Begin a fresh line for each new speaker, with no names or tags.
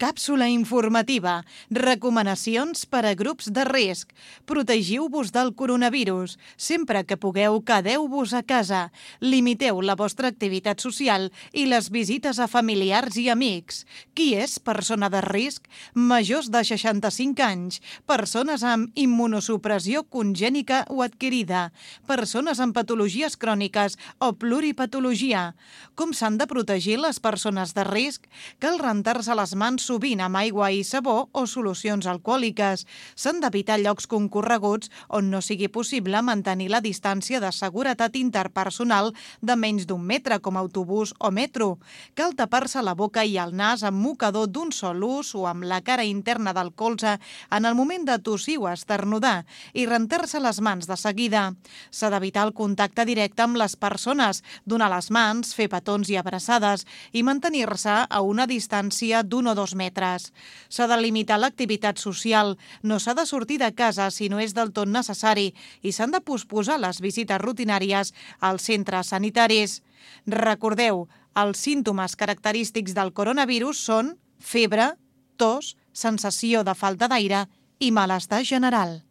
Càpsula informativa. Recomanacions per a grups de risc. Protegiu-vos del coronavirus. Sempre que pugueu, quedeu-vos a casa. Limiteu la vostra activitat social i les visites a familiars i amics. Qui és persona de risc? Majors de 65 anys. Persones amb immunosupressió congènica o adquirida. Persones amb patologies cròniques o pluripatologia. Com s'han de protegir les persones de risc? Cal rentar-se les mans sovint amb aigua i sabó o solucions alcohòliques. S'han d'evitar llocs concorreguts on no sigui possible mantenir la distància de seguretat interpersonal de menys d'1 metre, com autobús o metro. Cal tapar-se la boca i el nas amb mocador d'un sol ús o amb la cara interna del colze en el moment de tossir o esternudar i rentar-se les mans de seguida. S'ha d'evitar el contacte directe amb les persones, donar les mans, fer petons i abraçades i mantenir-se a una distància d'1 o 2 metres. S'ha de limitar l'activitat social, no s'ha de sortir de casa si no és del tot necessari i s'han de posposar les visites rutinàries als centres sanitaris. Recordeu, els símptomes característics del coronavirus són febre, tos, sensació de falta d'aire i malestar general.